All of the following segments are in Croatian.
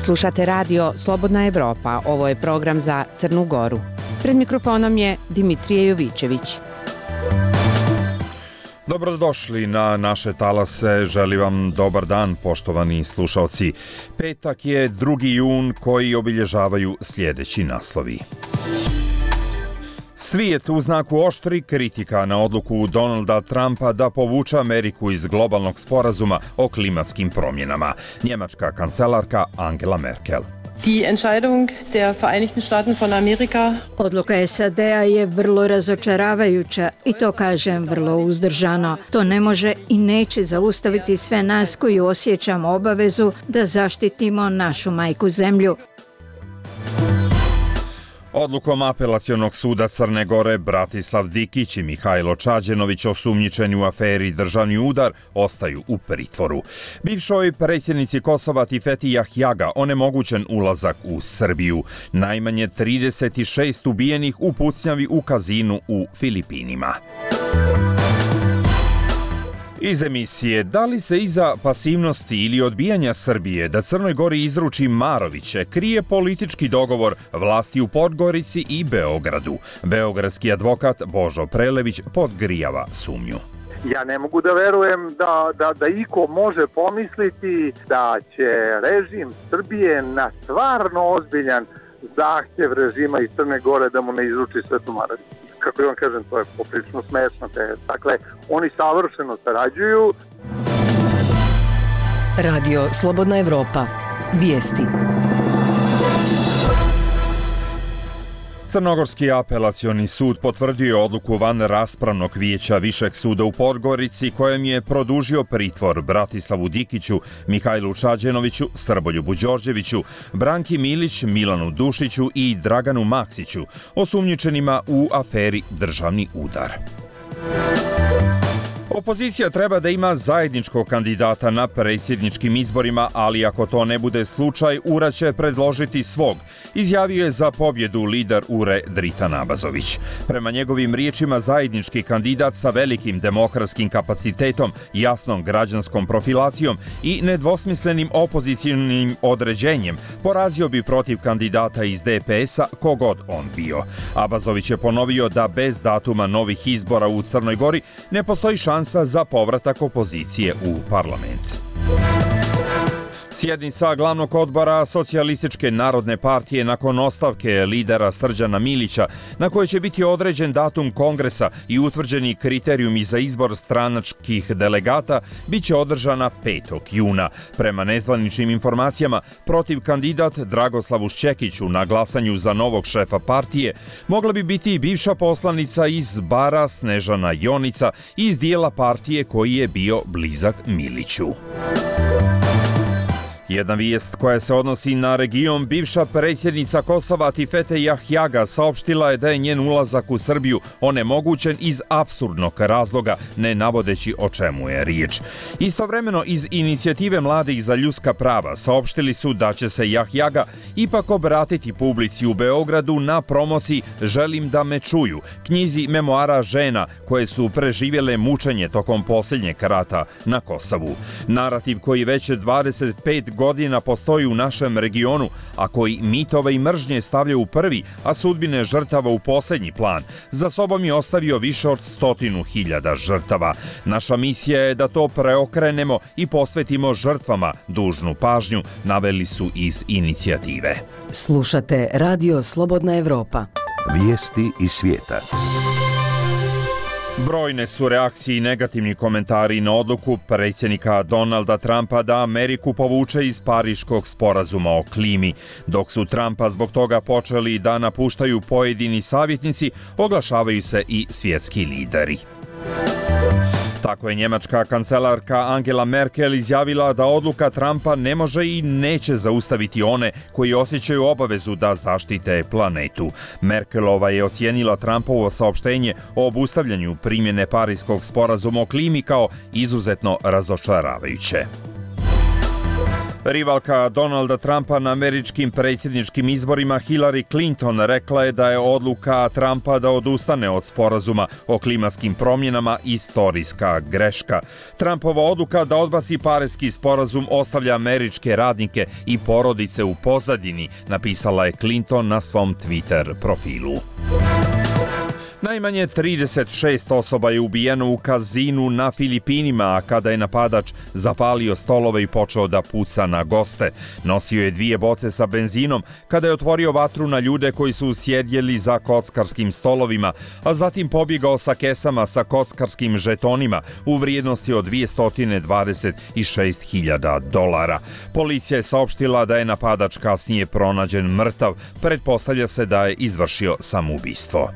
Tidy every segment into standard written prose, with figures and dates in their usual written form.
Slušate radio Slobodna Evropa, ovo je program za Crnu Goru. Pred mikrofonom je Dimitrije Jovićević. Dobrodošli na naše talase, želim vam dobar dan, poštovani slušalci. Petak je 2. jun koji obilježavaju sljedeći naslovi. Svijet u znaku oštri kritika na odluku Donalda Trumpa da povuče Ameriku iz globalnog sporazuma o klimatskim promjenama. Njemačka kancelarka Angela Merkel. Die Entscheidung der Vereinigten Staaten von Amerika. Odluka SAD-a je vrlo razočaravajuća i to kažem vrlo uzdržano. To ne može i neće zaustaviti sve nas koji osjećamo obavezu da zaštitimo našu majku zemlju. Odlukom Apelacionog suda Crne Gore Bratislav Dikić i Mihajlo Čađenović, osumnjičeni u aferi Državni udar, ostaju u pritvoru. Bivšoj predsjednici Kosova Tifeti Jahjaga onemogućen ulazak u Srbiju. Najmanje 36 ubijenih u pucnjavi u kazinu u Filipinima. Iz emisije, da li se iza pasivnosti ili odbijanja Srbije da Crnoj Gori izruči Maroviće krije politički dogovor vlasti u Podgorici i Beogradu? Beogradski advokat Božo Prelević podgrijava sumnju. Ja ne mogu da verujem da iko može pomisliti da će režim Srbije na stvarno ozbiljan zahtjev režima iz Crne Gore da mu ne izruči Svetu Marović. Kako vam kažem, to je poprilično smešno. Dakle, oni savršeno sarađuju. Radio Slobodna Evropa. Vijesti. Crnogorski apelacioni sud potvrdio je odluku van raspravnog vijeća Višeg suda u Podgorici kojem je produžio pritvor Bratislavu Dikiću, Mihajlu Čađenoviću, Srboljubu Đorđeviću, Branki Milić, Milanu Dušiću i Draganu Maksiću, osumnjičenima u aferi Državni udar. Opozicija treba da ima zajedničkog kandidata na predsjedničkim izborima, ali ako to ne bude slučaj, URA će predložiti svog, izjavio je za pobjedu lider URE Dritan Abazović. Prema njegovim riječima, zajednički kandidat sa velikim demokratskim kapacitetom, jasnom građanskom profilacijom i nedvosmislenim opozicionim određenjem porazio bi protiv kandidata iz DPS-a kogod on bio. Abazović je ponovio da bez datuma novih izbora u Crnoj Gori ne postoji šansa za povratak opozicije u parlament. Sjednica glavnog odbora Socijalističke narodne partije nakon ostavke lidera Srđana Milića, na kojoj će biti određen datum kongresa i utvrđeni kriterijumi za izbor stranačkih delegata, bit će održana 5. juna. Prema nezvaničnim informacijama, protiv kandidat Dragoslavu Šćekiću na glasanju za novog šefa partije mogla bi biti i bivša poslanica iz Bara Snežana Jonica iz dijela partije koji je bio blizak Miliću. Jedna vijest koja se odnosi na region, bivša predsjednica Kosova Tifete Jahjaga saopštila je da je njen ulazak u Srbiju onemogućen iz apsurdnog razloga, ne navodeći o čemu je riječ. Istovremeno iz inicijative mladih za ljudska prava saopštili su da će se Jahjaga ipak obratiti publici u Beogradu na promociji Želim da me čuju, knjizi memoara žena koje su preživjele mučenje tokom posljednjeg rata na Kosovu. Narativ koji već 25 godina postoji u našem regionu, a koji mitove i mržnje stavlja u prvi, a sudbine žrtava u posljednji plan, za sobom je ostavio više od 100.000 žrtava. Naša misija je da to preokrenemo i posvetimo žrtvama dužnu pažnju, naveli su iz inicijative. Slušate Radio Slobodna Evropa. Vijesti iz svijeta. Brojne su reakcije i negativni komentari na odluku predsjednika Donalda Trumpa da Ameriku povuče iz Pariškog sporazuma o klimi. Dok su Trumpa zbog toga počeli da napuštaju pojedini savjetnici, oglašavaju se i svjetski lideri. Tako je njemačka kancelarka Angela Merkel izjavila da odluka Trumpa ne može i neće zaustaviti one koji osjećaju obavezu da zaštite planetu. Merkelova je ocijenila Trumpovo saopštenje o obustavljanju primjene Pariškog sporazuma o klimi kao izuzetno razočaravajuće. Rivalka Donalda Trumpa na američkim predsjedničkim izborima Hillary Clinton rekla je da je odluka Trumpa da odustane od sporazuma o klimatskim promjenama istorijska greška. Trumpova odluka da odbaci Pariski sporazum ostavlja američke radnike i porodice u pozadini, napisala je Clinton na svom Twitter profilu. Najmanje 36 osoba je ubijeno u kazinu na Filipinima, a kada je napadač zapalio stolove i počeo da puca na goste. Nosio je 2 boce sa benzinom kada je otvorio vatru na ljude koji su sjedjeli za kockarskim stolovima, a zatim pobjegao sa kesama sa kockarskim žetonima u vrijednosti od $226.000. Policija je saopštila da je napadač kasnije pronađen mrtav. Pretpostavlja se da je izvršio samoubistvo.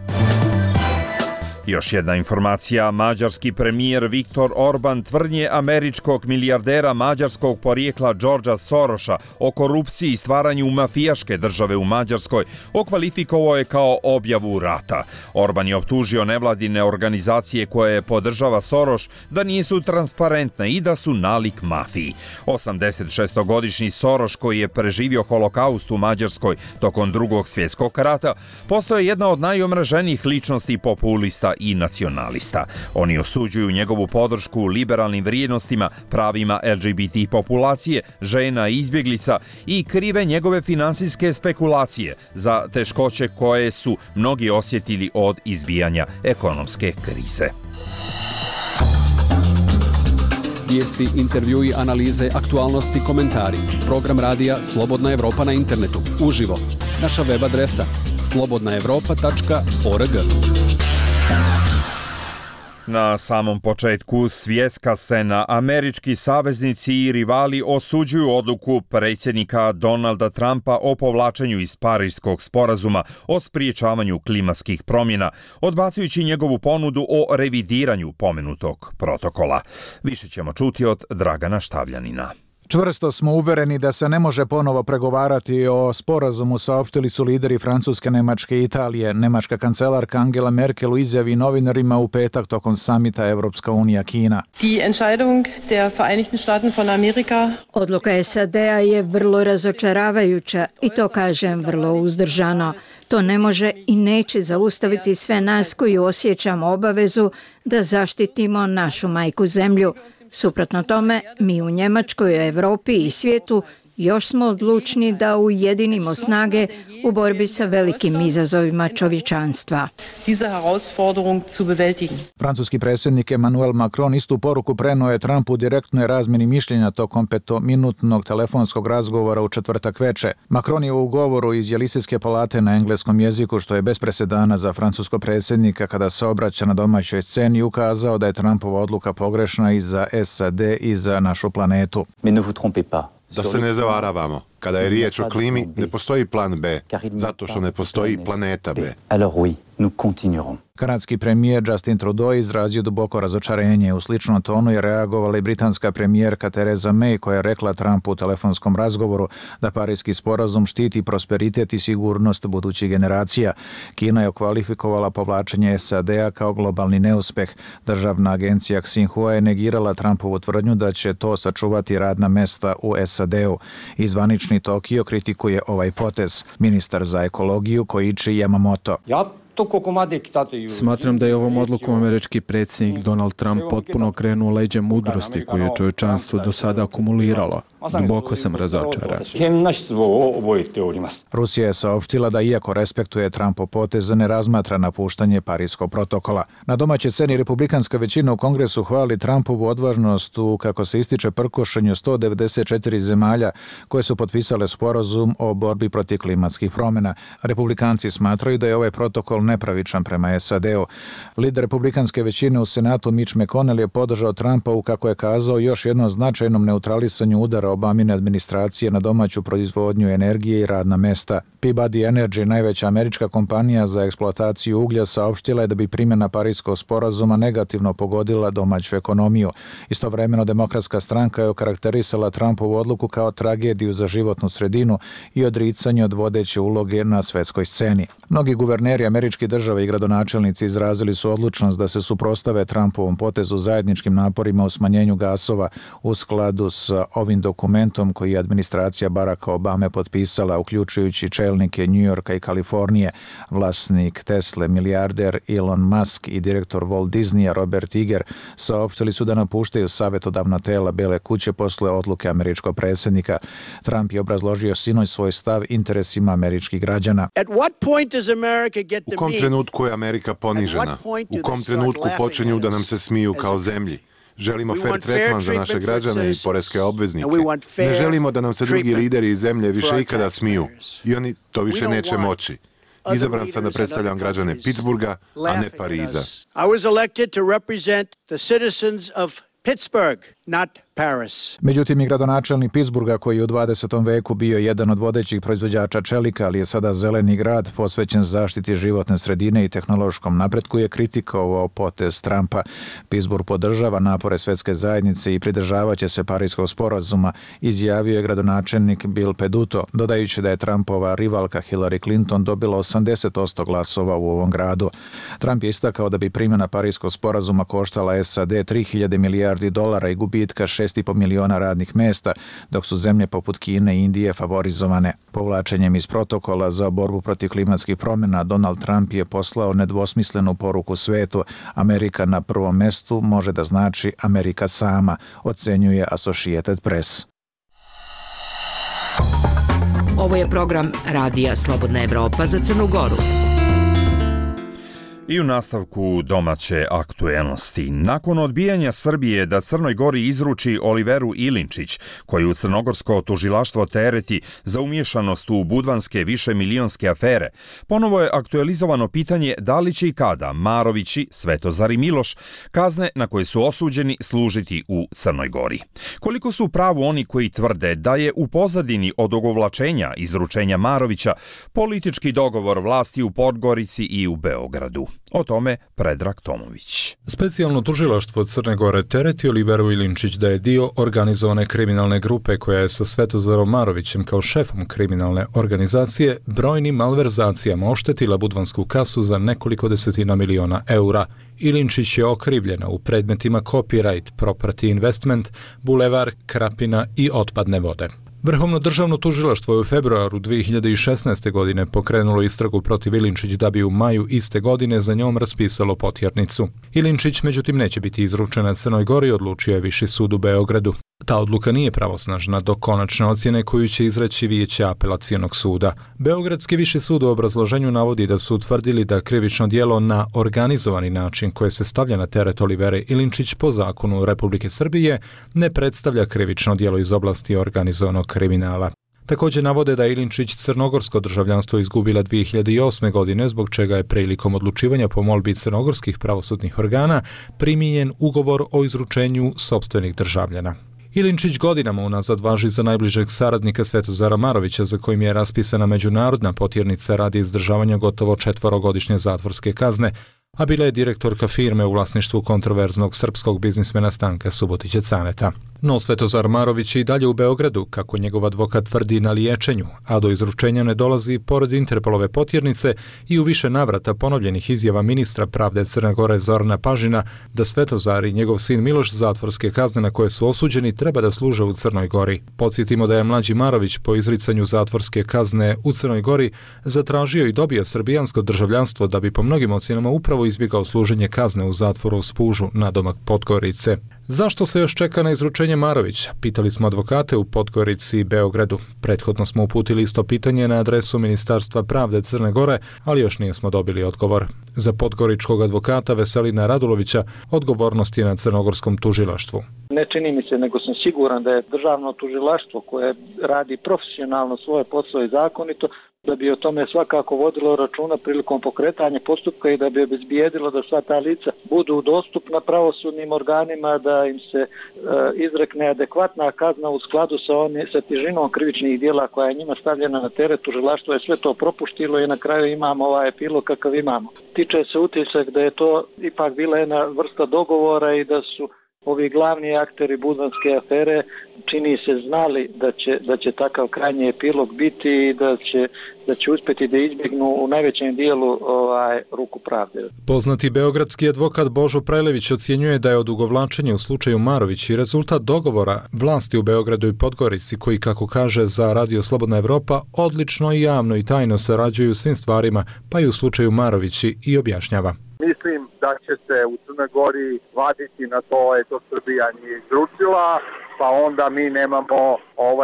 Još jedna informacija, mađarski premijer Viktor Orban tvrdnje američkog milijardera mađarskog porijekla Georgea Sorosa o korupciji i stvaranju mafijaške države u Mađarskoj okvalifikovao je kao objavu rata. Orban je optužio nevladine organizacije koje podržava Soros da nisu transparentne i da su nalik mafiji. 86-godišnji Soros, koji je preživio holokaust u Mađarskoj tokom Drugog svjetskog rata, postao je jedna od najomraženijih ličnosti populista i nacionalista. Oni osuđuju njegovu podršku liberalnim vrijednostima, pravima LGBT populacije, žena i izbjeglica i krive njegove finansijske spekulacije za teškoće koje su mnogi osjetili od izbijanja ekonomske krize. Vijesti, intervjui, analize, aktualnosti, komentari. Program radija Slobodna Evropa na internetu. Uživo. Naša web adresa slobodnaevropa.org. Na samom početku svjetska scena, američki saveznici i rivali osuđuju odluku predsjednika Donalda Trumpa o povlačenju iz Pariškog sporazuma o spriječavanju klimatskih promjena, odbacujući njegovu ponudu o revidiranju pomenutog protokola. Više ćemo čuti od Dragana Štavljanina. Čvrsto smo uvereni da se ne može ponovo pregovarati o sporazumu, saopštili su lideri Francuske, Nemačke i Italije. Nemačka kancelarka Angela Merkel u izjavi novinarima u petak tokom samita Evropska unija Kina. Die Entscheidung der Vereinigten Staaten von Amerika. Odluka SAD-a je vrlo razočaravajuća i to kažem vrlo uzdržano. To ne može i neće zaustaviti sve nas koji osjećamo obavezu da zaštitimo našu majku zemlju. Suprotno tome, mi u Njemačkoj, Europi i svijetu još smo odlučni da ujedinimo snage u borbi sa velikim izazovima čovječanstva. Diese Herausforderung zu bewältigen. Francuski predsjednik Emmanuel Macron istu poruku prenuo je Trumpu u direktnoj razmjeni mišljenja tokom 5-minutnog telefonskog razgovora u četvrtak veče. Macron je u govoru iz Jelisejske palate na engleskom jeziku, što je bez presedana za francuskog predsjednika kada se obraća na domaćoj sceni, ukazao da je Trumpova odluka pogrešna i za SAD i za našu planetu. Mais ne vous trompez pas. Da se ne zavaravamo. Kada je riječ o klimi, ne postoji plan B, zato što ne postoji planeta B. Alors oui, nous continuerons. Kanadski premijer Justin Trudeau izrazio duboko razočarenje. U sličnom tonu je reagovala i britanska premijerka Theresa May, koja je rekla Trumpu u telefonskom razgovoru da Pariški sporazum štiti prosperitet i sigurnost budućih generacija. Kina je okvalifikovala povlačenje SAD-a kao globalni neuspeh. Državna agencija Xinhua je negirala Trumpovu tvrdnju da će to sačuvati radna mesta u SAD-u. Zvanični Tokio kritikuje ovaj potez. Ministar za ekologiju Koichi Yamamoto. Smatram da je ovom odlukom američki predsjednik Donald Trump potpuno krenuo leđa mudrosti koju je čovječanstvo do sada akumuliralo. Duboko sam razočaran. Rusija je saopštila da iako respektuje Trumpov potez, ne razmatra napuštanje Pariškog protokola. Na domaćoj sceni republikanska većina u Kongresu hvali Trumpovu odvažnost u, kako se ističe, prkošenju 194 zemalja koje su potpisale sporazum o borbi protiv klimatskih promjena. Republikanci smatraju da je ovaj protokol nepravičan prema SAD-u. Lider republikanske većine u Senatu Mitch McConnell je podržao Trumpa u, kako je kazao, još jednom značajnom neutralisanju udara Obamine administracije na domaću proizvodnju energije i radna mesta. Peabody Energy, najveća američka kompanija za eksploataciju uglja, saopštila je da bi primjena Pariškog sporazuma negativno pogodila domaću ekonomiju. Istovremeno, Demokratska stranka je okarakterisala Trumpovu odluku kao tragediju za životnu sredinu i odricanje od vodeće uloge na svjetskoj sceni. Mnogi guverneri američke američke države i gradonačelnici izrazili su odlučnost da se suprotstave Trumpovom potezu zajedničkim naporima u smanjenju gasova u skladu s ovim dokumentom koji je administracija Baracka Obame potpisala, uključujući čelnike New Yorka i Kalifornije. Vlasnik Tesle, milijarder Elon Musk i direktor Walt Disneya Robert Iger saopštili su da napuštaju savjetodavna tela Bele kuće posle odluke američkog predsjednika. Trump je obrazložio sinoć svoj stav interesima američkih građana. U kom trenutku je Amerika ponižena? U kom trenutku počinju da nam se smiju kao zemlji? Želimo fair tretman za naše građane i poreske obveznike. Ne želimo da nam se drugi lideri iz zemlje više ikada smiju. I oni to više neće moći. Izabran sam da predstavljam građane Pittsburgha, a ne Pariza. Međutim, i gradonačelnik Pittsburgha, koji je u 20. veku bio jedan od vodećih proizvođača čelika, ali je sada zeleni grad posvećen zaštiti životne sredine i tehnološkom napretku, je kritikovao potez Trumpa. Pittsburgh podržava napore svetske zajednice i pridržavaće se Pariskog sporazuma, izjavio je gradonačelnik Bill Peduto, dodajući da je Trumpova rivalka Hillary Clinton dobila 80% glasova u ovom gradu. Trump je istakao da bi primjena Pariskog sporazuma koštala SAD 3.000 milijardi dolara i gubitka 6,5 miliona radnih mesta, dok su zemlje poput Kine i Indije favorizovane. Povlačenjem iz protokola za borbu protiv klimatskih promjena, Donald Trump je poslao nedvosmislenu poruku svetu. Amerika na prvom mestu može da znači Amerika sama, ocenjuje Associated Press. Ovo je program Radija Slobodna Evropa za Crnu Goru. I u nastavku domaće aktuelnosti. Nakon odbijanja Srbije da Crnoj Gori izruči Oliveru Ilinčić, koju crnogorsko tužilaštvo tereti za umiješanost u budvanske višemilionske afere, ponovo je aktualizovano pitanje da li će i kada Marovići, Svetozar i Miloš kazne na koje su osuđeni služiti u Crnoj Gori. Koliko su u pravu oni koji tvrde da je u pozadini odugovlačenja izručenja Marovića politički dogovor vlasti u Podgorici i u Beogradu? O tome Predrag Tomović. Specijalno tužilaštvo Crne Gore tereti Oliveru Ilinčić da je dio organizovane kriminalne grupe koja je sa Svetozarom Marovićem kao šefom kriminalne organizacije brojnim malverzacijama oštetila budvansku kasu za nekoliko desetina miliona eura. Ilinčić je okrivljena u predmetima copyright, property investment, bulevar, Krapina i otpadne vode. Vrhovno državno tužilaštvo je u februaru 2016. godine pokrenulo istragu protiv Ilinčić da bi u maju iste godine za njom raspisalo potjernicu. Ilinčić međutim neće biti izručena Crnoj Gori, odlučio je Viši sud u Beogradu. Ta odluka nije pravosnažna do konačne ocjene koju će izreći Vijeće apelacionog suda. Beogradski Viši sud u obrazloženju navodi da su utvrdili da krivično djelo na organizovani način koje se stavlja na teret Olivere Ilinčić po zakonu Republike Srbije ne predstavlja krivično djelo iz oblasti organizovanog kriminala. Također navode da je Ilinčić crnogorsko državljanstvo izgubila 2008. godine, zbog čega je prilikom odlučivanja po molbi crnogorskih pravosudnih organa primijenjen ugovor o izručenju sopstvenih državljana. Ilinčić godinama unazad važi za najbližeg saradnika Svetozara Marovića, za kojim je raspisana međunarodna potjernica radi izdržavanja gotovo 4-godišnje zatvorske kazne, a bila je direktorka firme u vlasništvu kontroverznog srpskog biznismena Stanka Subotića Caneta. No Svetozar Marović je i dalje u Beogradu, kako njegov advokat tvrdi, na liječenju, a do izručenja ne dolazi pored Interpolove potjernice i u više navrata ponovljenih izjava ministra pravde Crne Gore Zorana Pažina da Svetozar i njegov sin Miloš zatvorske kazne na koje su osuđeni treba da služe u Crnoj Gori. Podsjetimo da je mlađi Marović po izricanju zatvorske kazne u Crnoj Gori zatražio i dobio srbijansko državljanstvo da bi po mnogim ocjenama upravo izbjegao služenje kazne u zatvoru u Spužu nadomak Podgorice. Zašto se još čeka na izručenje Marovića? Pitali smo advokate u Podgorici i Beogradu. Prethodno smo uputili isto pitanje na adresu Ministarstva pravde Crne Gore, ali još nismo dobili odgovor. Za podgoričkog advokata Veselina Radulovića odgovornost je na crnogorskom tužilaštvu. Ne čini mi se, nego sam siguran da je državno tužilaštvo koje radi profesionalno svoje posao i zakonito, da bi o tome svakako vodilo računa prilikom pokretanja postupka i da bi obezbijedilo da sva ta lica budu dostupna pravosudnim organima, da im se izrekne adekvatna kazna u skladu sa težinom krivičnih djela koja je njima stavljena na teret. Tužilaštvo je sve to propuštilo i na kraju imamo ovaj epilog kakav imamo. Tiče se utisak da je to ipak bila jedna vrsta dogovora i da su Ovi glavni akteri budvanske afere čini se znali da će takav krajnji epilog biti i da će uspjeti da izbjegnu u najvećem dijelu ruku pravde. Poznati beogradski advokat Božo Prelević ocjenjuje da je odugovlačenje u slučaju Marović i rezultat dogovora vlasti u Beogradu i Podgorici koji, kako kaže za Radio Slobodna Evropa, odlično i javno i tajno sarađuju u svim stvarima, pa i u slučaju Marovići, i objašnjava. Mislim da će se u Crnoj Gori vaditi na to, to Srbija nije izručila, pa onda mi nemamo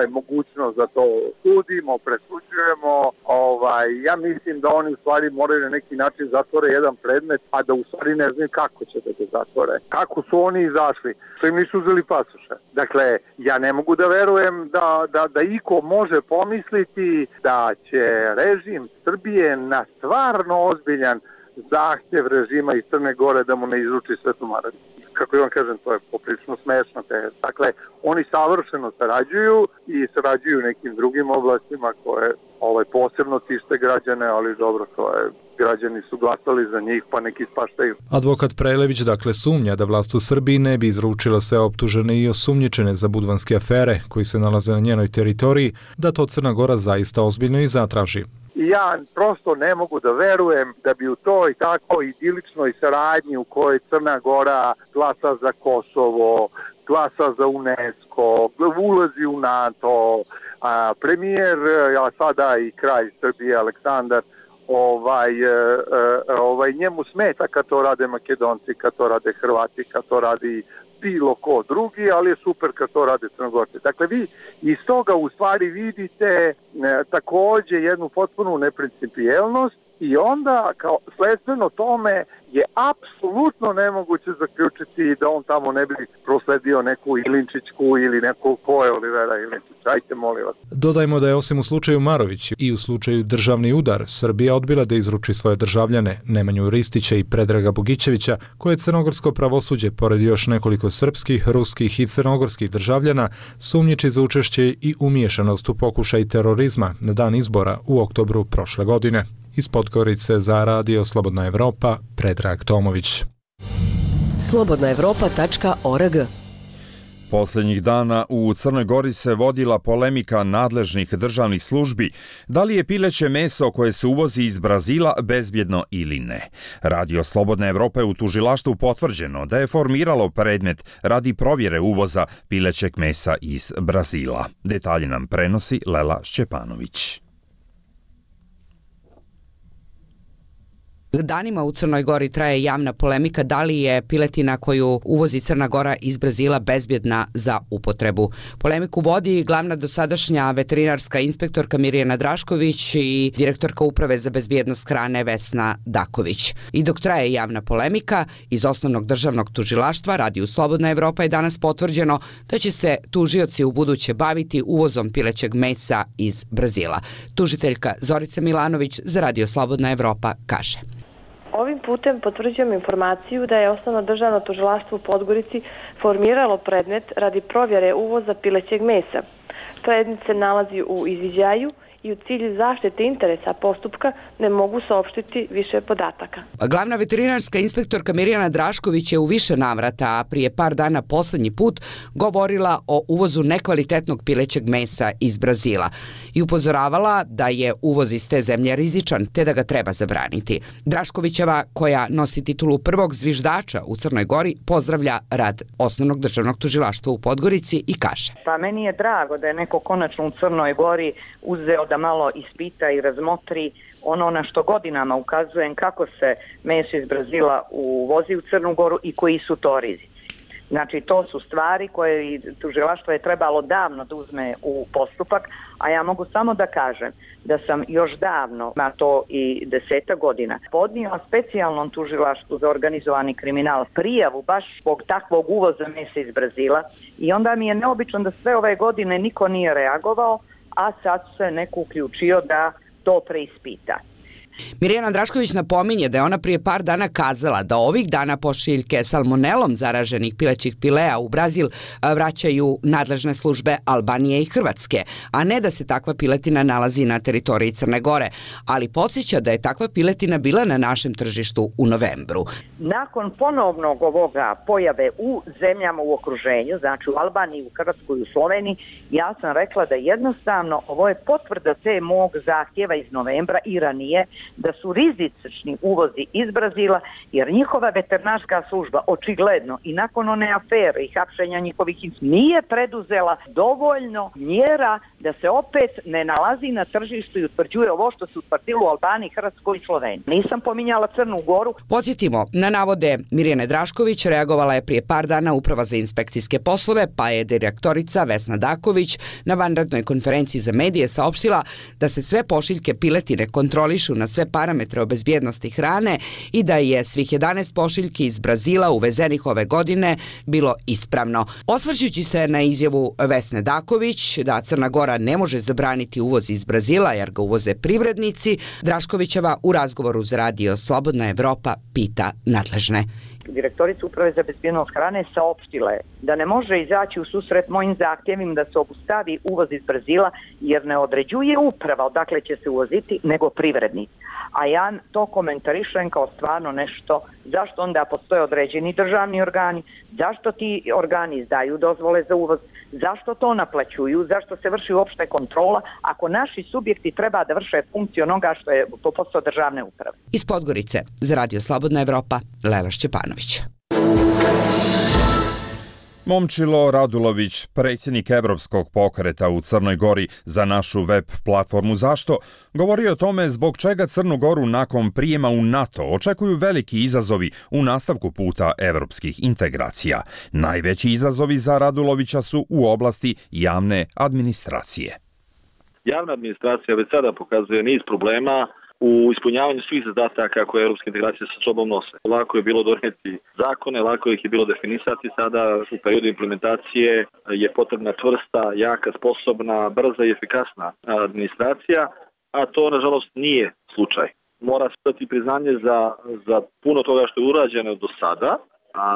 mogućnost da to sudimo, presuđujemo. Ja mislim da oni u stvari moraju na neki način zatvore jedan predmet, a da u stvari ne znaju kako će da ga zatvore. Kako su oni izašli? Što im nisu uzeli pasoše. Dakle, ja ne mogu da verujem da iko može pomisliti da će režim Srbije na stvarno ozbiljan zahtjev režima iz Crne Gore da mu ne izruči Svetu Marović. Kako vam kažem, to je poprilično smešno. Dakle, oni savršeno sarađuju i sarađuju u nekim drugim oblastima koje posebno tište građane, ali dobro, to je, građani su glasali za njih, pa neki spaštaju. Advokat Prelević dakle sumnja da vlast u Srbiji ne bi izručila sve optužene i osumnjičene za budvanske afere koji se nalaze na njenoj teritoriji, da to Crna Gora zaista ozbiljno i zatraži. Ja prosto ne mogu da verujem da bi u toj tako idiličnoj saradnji u kojoj Crna Gora glasa za Kosovo, glasa za UNESCO, ulazi u NATO, premijer, a sada i kralj Srbije Aleksandar, njemu smeta kad to rade Makedonci, kad to rade Hrvati, kad to radi bilo ko drugi, ali je super kad to rade Crnogorci. Dakle, vi iz toga u stvari vidite također jednu potpunu neprincipijelnost i onda kao sledstveno tome je apsolutno nemoguće zaključiti da on tamo ne bi prosledio neku Ilinčićku ili neku ko je Olivera Ilinčić. Ajte, molim vas. Dodajmo da je osim u slučaju Marović i u slučaju državni udar, Srbija odbila da izruči svoje državljane Nemanju Ristića i Predraga Bogićevića, koje crnogorsko pravosuđe, pored još nekoliko srpskih, ruskih i crnogorskih državljana, sumnjiči za učešće i umiješanost u pokušaj terorizma na dan izbora u oktobru prošle godine. Iz Podgorice za Radio Slobodna Evropa, Predrag Tomović. slobodnaevropa.org. Posljednjih dana u Crnoj Gori se vodila polemika nadležnih državnih službi da li je pileće meso koje se uvozi iz Brazila bezbjedno ili ne. Radio Slobodna Evropa je u tužilaštvu potvrđeno da je formiralo predmet radi provjere uvoza pilećeg mesa iz Brazila. Detalje nam prenosi Lela Šćepanović. Danima u Crnoj Gori traje javna polemika da li je piletina koju uvozi Crna Gora iz Brazila bezbjedna za upotrebu. Polemiku vodi glavna dosadašnja veterinarska inspektorka Mirjana Drašković i direktorka Uprave za bezbjednost hrane Vesna Daković. I dok traje javna polemika, iz Osnovnog državnog tužilaštva Radio Slobodna Evropa je danas potvrđeno da će se tužioci u buduće baviti uvozom pilećeg mesa iz Brazila. Tužiteljka Zorica Milanović za Radio Slobodna Evropa kaže: Ovim putem potvrđujem informaciju da je Osnovno državno tužilaštvo u Podgorici formiralo predmet radi provjere uvoza pilećeg mesa. Predmet se nalazi u izviđaju i u cilju zaštite interesa postupka ne mogu saopštiti više podataka. Glavna veterinarska inspektorka Mirjana Drašković je u više navrata, a prije par dana poslednji put, govorila o uvozu nekvalitetnog pilećeg mesa iz Brazila i upozoravala da je uvoz iz te zemlje rizičan, te da ga treba zabraniti. Draškovićeva, koja nosi titulu prvog zviždača u Crnoj Gori, pozdravlja rad Osnovnog državnog tužilaštva u Podgorici i kaže: Pa meni je drago da je neko konačno u Crnoj Gori uzeo da malo ispita i razmotri ono na što godinama ukazujem, kako se meso iz Brazila uvozi u Crnu Goru i koji su to rizici. Znači, to su stvari koje tužilaštvo je trebalo davno da uzme u postupak, a ja mogu samo da kažem da sam još davno, na to i 10 godina, podnijela specijalnom tužilaštvu za organizovani kriminal prijavu baš zbog takvog uvoza mesa iz Brazila i onda mi je neobično da sve ove godine niko nije reagovao, a sad se neko uključio da to preispita. Mirjana Drašković napominje da je ona prije par dana kazala da ovih dana pošiljke salmonelom zaraženih pilećih pilea u Brazil vraćaju nadležne službe Albanije i Hrvatske, a ne da se takva piletina nalazi na teritoriji Crne Gore, ali podsjeća da je takva piletina bila na našem tržištu u novembru. Nakon ponovnog ovoga pojave u zemljama u okruženju, znači u Albaniji, u Hrvatskoj i u Sloveniji, ja sam rekla da jednostavno ovo je potvrda te mog zahtjeva iz novembra i ranije, da su rizični uvozi iz Brazila, jer njihova veterinarska služba očigledno i nakon one afere i hapšenja njihovih nije preduzela dovoljno mjera da se opet ne nalazi na tržištu i utvrđuje ovo što se utvrdilo u Albaniji, Hrvatskoj i Sloveniji. Nisam pominjala Crnu Goru. Podsjetimo, na navode Mirjane Drašković reagovala je prije par dana Uprava za inspekcijske poslove, pa je direktorica Vesna Daković na vanrednoj konferenciji za medije saopštila da se sve pošiljke piletine kontrolišu na sve parametre o bezbjednosti hrane i da je svih 11 pošiljki iz Brazila uvezenih ove godine bilo ispravno. Osvrćući se na izjavu Vesne Daković da Crna Gora ne može zabraniti uvoz iz Brazila jer ga uvoze privrednici, Draškovićeva u razgovoru za radio Slobodna Evropa pita nadležne. Direktorica Uprave za bezbjednost hrane saopštila je da ne može izaći u susret mojim zahtjevima da se obustavi uvoz iz Brazila jer ne određuje uprava odakle će se uvoziti, nego privrednici. A ja to komentarišem kao stvarno nešto, zašto onda postoje određeni državni organi, zašto ti organi izdaju dozvole za uvoz, zašto to naplaćuju, zašto se vrši uopšte kontrola, ako naši subjekti treba da vrše funkciju onoga što je po posao državne uprave. Iz Podgorice, za radio Slobodna Evropa, Lela Šćepanović. Momčilo Radulović, predsjednik Evropskog pokreta u Crnoj Gori za našu web platformu Zašto, govori o tome zbog čega Crnu Goru nakon prijema u NATO očekuju veliki izazovi u nastavku puta evropskih integracija. Najveći izazovi za Radulovića su u oblasti javne administracije. Javna administracija već sada pokazuje niz problema u ispunjavanju svih zadataka koje europske integracije sa sobom nose. Lako je bilo donijeti zakone, lako ih je bilo definisati. Sada u periodu implementacije je potrebna čvrsta, jaka, sposobna, brza i efikasna administracija, a to nažalost nije slučaj. Mora se dati priznanje za puno toga što je urađeno do sada,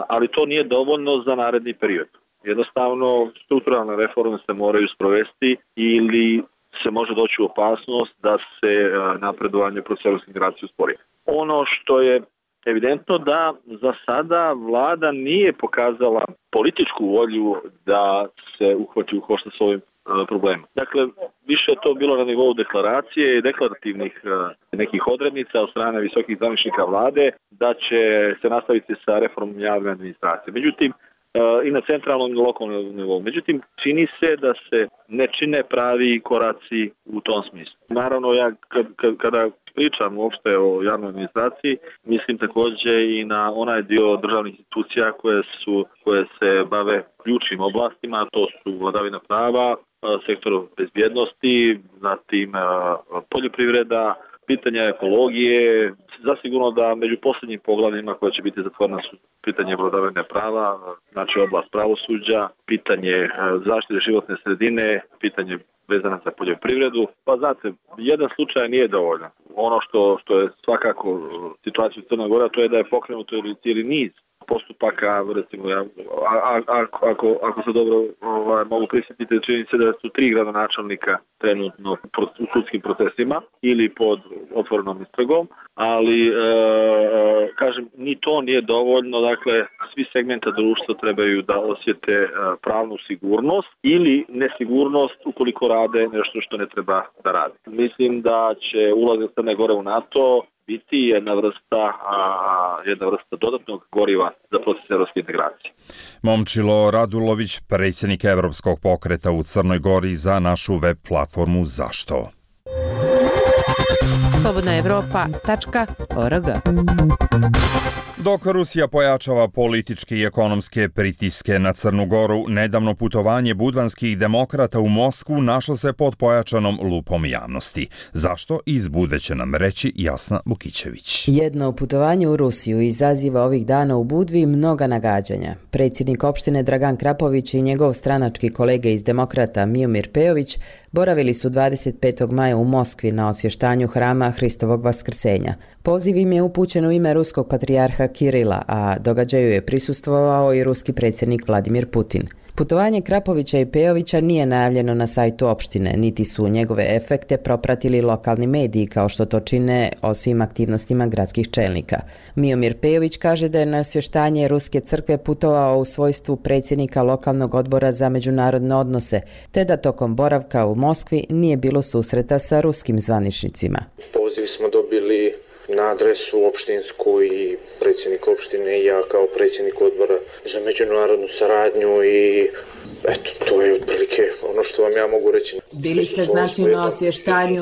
ali to nije dovoljno za naredni period. Jednostavno, strukturalne reforme se moraju sprovesti ili se može doći u opasnost da se napredovanje procesa europske integracije uspori. Ono što je evidentno da za sada vlada nije pokazala političku volju da se uhvati u koštac s ovim problemom. Dakle, više je to bilo na nivou deklaracije i deklarativnih nekih odrednica od strane visokih zvaničnika vlade da će se nastaviti sa reformom javne administracije. Međutim, i na centralnom i lokalnom nivou. Međutim, čini se da se ne čine pravi koraci u tom smislu. Naravno, ja kada pričam uopšte o javnoj administraciji, mislim također i na onaj dio državnih institucija koje se bave ključnim oblastima, to su vladavina prava, sektor bezbjednosti, zatim poljoprivreda, pitanja ekologije. Zasigurno da među posljednjim poglavljima koje će biti zatvorena su pitanje vladavine prava, znači oblast pravosuđa, pitanje zaštite životne sredine, pitanje vezano za poljoprivredu. Pa znate, jedan slučaj nije dovoljan. Ono što je svakako situacija u Crnoj Gori, to je da je pokrenuto cijeli niz postupaka, recimo, ako se dobro mogu prisjetiti, čini se da su 3 gradonačelnika trenutno u sudskim procesima ili pod otvorenom istragom, ali kažem, ni to nije dovoljno. Dakle, svi segmenta društva trebaju da osjete pravnu sigurnost ili nesigurnost ukoliko rade nešto što ne treba da rade. Mislim da će ulazak Crne Gore u NATO biti jedna vrsta dodatnog goriva za proces evropske integracije. Momčilo Radulović, predsjednik Evropskog pokreta u Crnoj Gori za našu web platformu Zašto. Slobodnaevropa.org Dok Rusija pojačava političke i ekonomske pritiske na Crnu Goru, nedavno putovanje budvanskih demokrata u Moskvu našlo se pod pojačanom lupom javnosti. Zašto? Iz Budve će nam reći Jasna Vukićević. Jedno putovanje u Rusiju izaziva ovih dana u Budvi mnoga nagađanja. Predsjednik opštine Dragan Krapović i njegov stranački kolege iz demokrata Miomir Pejović boravili su 25. maja u Moskvi na osvještanju hrama Hristovog vaskrsenja. Poziv im je upućen u ime ruskog patrijarha Kirila, a događaju je prisustvovao i ruski predsjednik Vladimir Putin. Putovanje Krapovića i Pejovića nije najavljeno na sajtu opštine, niti su njegove efekte propratili lokalni mediji kao što to čine o svim aktivnostima gradskih čelnika. Miomir Pejović kaže da je na osvještanje Ruske crkve putovao u svojstvu predsjednika lokalnog odbora za međunarodne odnose, te da tokom boravka u Moskvi nije bilo susreta sa ruskim zvaničnicima. Poziv smo dobili na adresu opštinsku i predsjednik opštine i ja kao predsjednik odbora za međunarodnu saradnju i eto, to je otprilike ono što vam ja mogu reći. Bili ste znači na osvještanju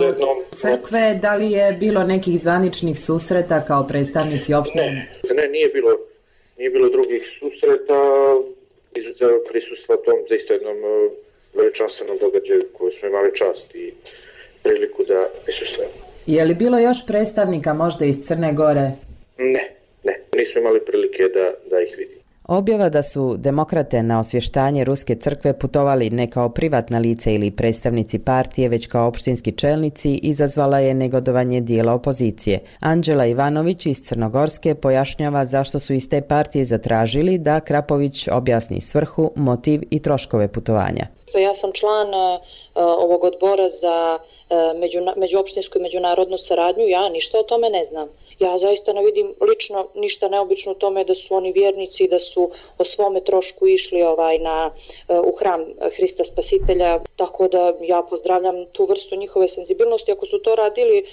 crkve, da li je bilo nekih zvaničnih susreta kao predstavnici opštine? Ne, nije bilo drugih susreta izuzev prisustva tom zaista jednom veličanstvenom događaju koju smo imali čast i priliku da prisustvujemo. Je li bilo još predstavnika možda iz Crne Gore? Ne, nismo imali prilike da ih vidimo. Objava da su demokrate na osvještanje Ruske crkve putovali ne kao privatna lica ili predstavnici partije, već kao opštinski čelnici, izazvala je negodovanje dijela opozicije. Anđela Ivanović iz Crnogorske pojašnjava zašto su iz te partije zatražili da Krapović objasni svrhu, motiv i troškove putovanja. Ja sam član ovog odbora za međuopštinsku i međunarodnu saradnju, ja ništa o tome ne znam. Ja zaista ne vidim lično ništa neobično u tome da su oni vjernici i da su o svome trošku išli u hram Hrista Spasitelja, tako da ja pozdravljam tu vrstu njihove senzibilnosti ako su to radili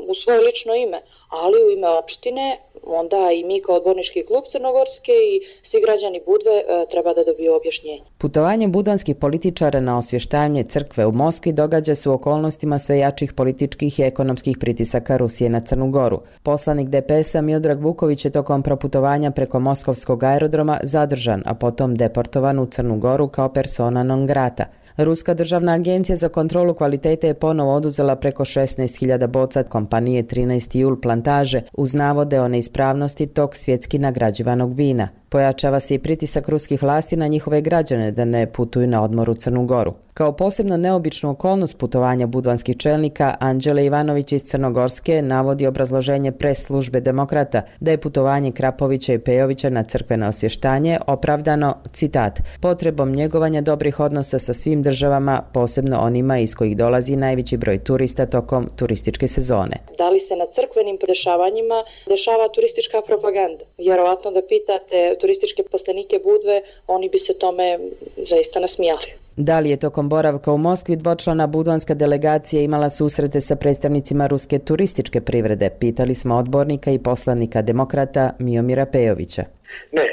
u svoje lično ime, ali u ime opštine onda i mi kao odbornički klub Crnogorske i svi građani Budve treba da dobiju objašnjenje. Putovanje budvanskih političara na osvještavanje crkve u Moskvi događa se u okolnostima sve jačih političkih i ekonomskih pritisaka Rusije na Crnu Goru. Poslanik DPS-a Miodrag Vuković je tokom proputovanja preko moskovskog aerodroma zadržan, a potom deportovan u Crnu Goru kao persona non grata. Ruska državna agencija za kontrolu kvalitete je ponovo oduzela preko 16.000 boca kompanije 13. jul plantaže uz navode o neispravnosti tog svjetski nagrađivanog vina. Pojačava se i pritisak ruskih vlasti na njihove građane da ne putuju na odmor u Crnu Goru. Kao posebno neobičnu okolnost putovanja budvanskih čelnika, Anđele Ivanović iz Crnogorske navodi obrazloženje pres službe demokrata da je putovanje Krapovića i Pejovića na crkveno osvještanje opravdano, citat, potrebom njegovanja dobrih odnosa sa svim državama, posebno onima iz kojih dolazi najveći broj turista tokom turističke sezone. Da li se na crkvenim dešavanjima dešava turistička propaganda? Vjerovatno da pitate turističke poslenike Budve, oni bi se tome zaista nasmijali. Da li je tokom boravka u Moskvi dvočlana budvanska delegacija imala susrete sa predstavnicima ruske turističke privrede? Pitali smo odbornika i poslanika demokrata Miomira Pejovića. Ne,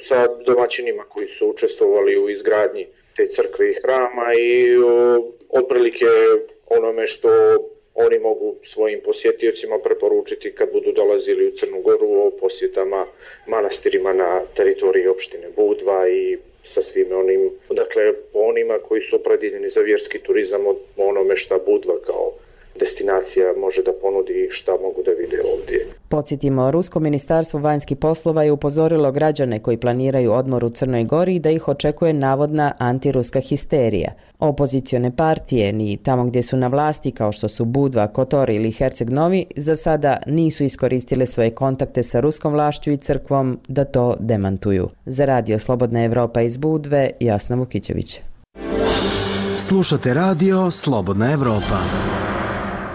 sa domaćinima koji su učestvovali u izgradnji te crkve i hrama i otprilike onome što oni mogu svojim posjetiocima preporučiti kad budu dolazili u Crnu Goru o posjetama manastirima na teritoriji opštine Budva i sa svime onim, dakle po onima koji su opredjeljeni za vjerski turizam o onome šta Budva kao destinacija može da ponudi i šta mogu da vide ovdje. Podsjetimo, Rusko ministarstvo vanjskih poslova je upozorilo građane koji planiraju odmor u Crnoj Gori da ih očekuje navodna antiruska histerija. Opozicione partije, ni tamo gdje su na vlasti kao što su Budva, Kotor ili Herceg Novi, za sada nisu iskoristile svoje kontakte sa ruskom vlašću i crkvom da to demantuju. Za Radio Slobodna Evropa iz Budve, Jasna Vukićević. Slušate Radio Slobodna Evropa.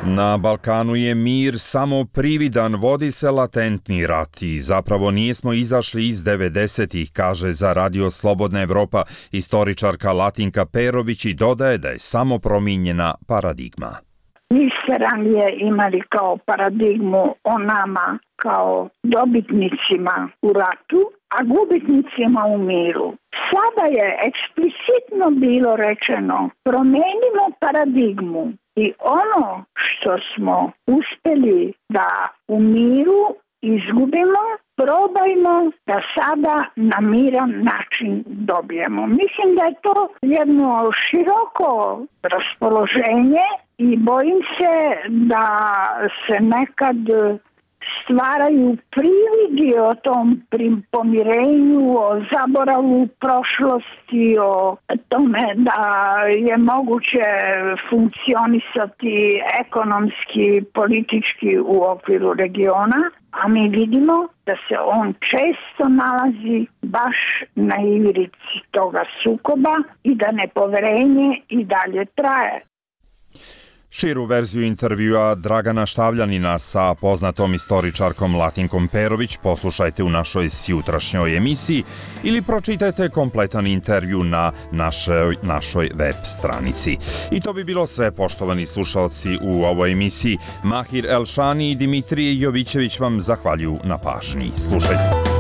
Na Balkanu je mir samo prividan, vodi se latentni rat i zapravo nismo izašli iz 90-ih, kaže za Radio Slobodna Evropa istoričarka Latinka Perović i dodaje da je samo promijenjena paradigma. Mi ste ranije imali kao paradigmu o nama kao dobitnicima u ratu, a gubitnicima u miru. Sada je eksplicitno bilo rečeno, promenimo paradigmu i ono što smo uspjeli da u miru izgubimo, probajmo da sada na miran način dobijemo. Mislim da je to jedno široko raspoloženje i bojim se da se nekad stvaraju prividi o tom pomirenju, o zaboravu prošlosti, o tome da je moguće funkcionisati ekonomski, politički u okviru regiona, a mi vidimo da se on često nalazi baš na ivrici toga sukoba i da nepoverenje i dalje traje. Širu verziju intervjua Dragana Štavljanina sa poznatom istoričarkom Latinkom Perović poslušajte u našoj sjutrašnjoj emisiji ili pročitajte kompletan intervju na našoj web stranici. I to bi bilo sve, poštovani slušalci, u ovoj emisiji. Mahir Elšani i Dimitrije Jovićević vam zahvaljuju na pažnji. Slušajte.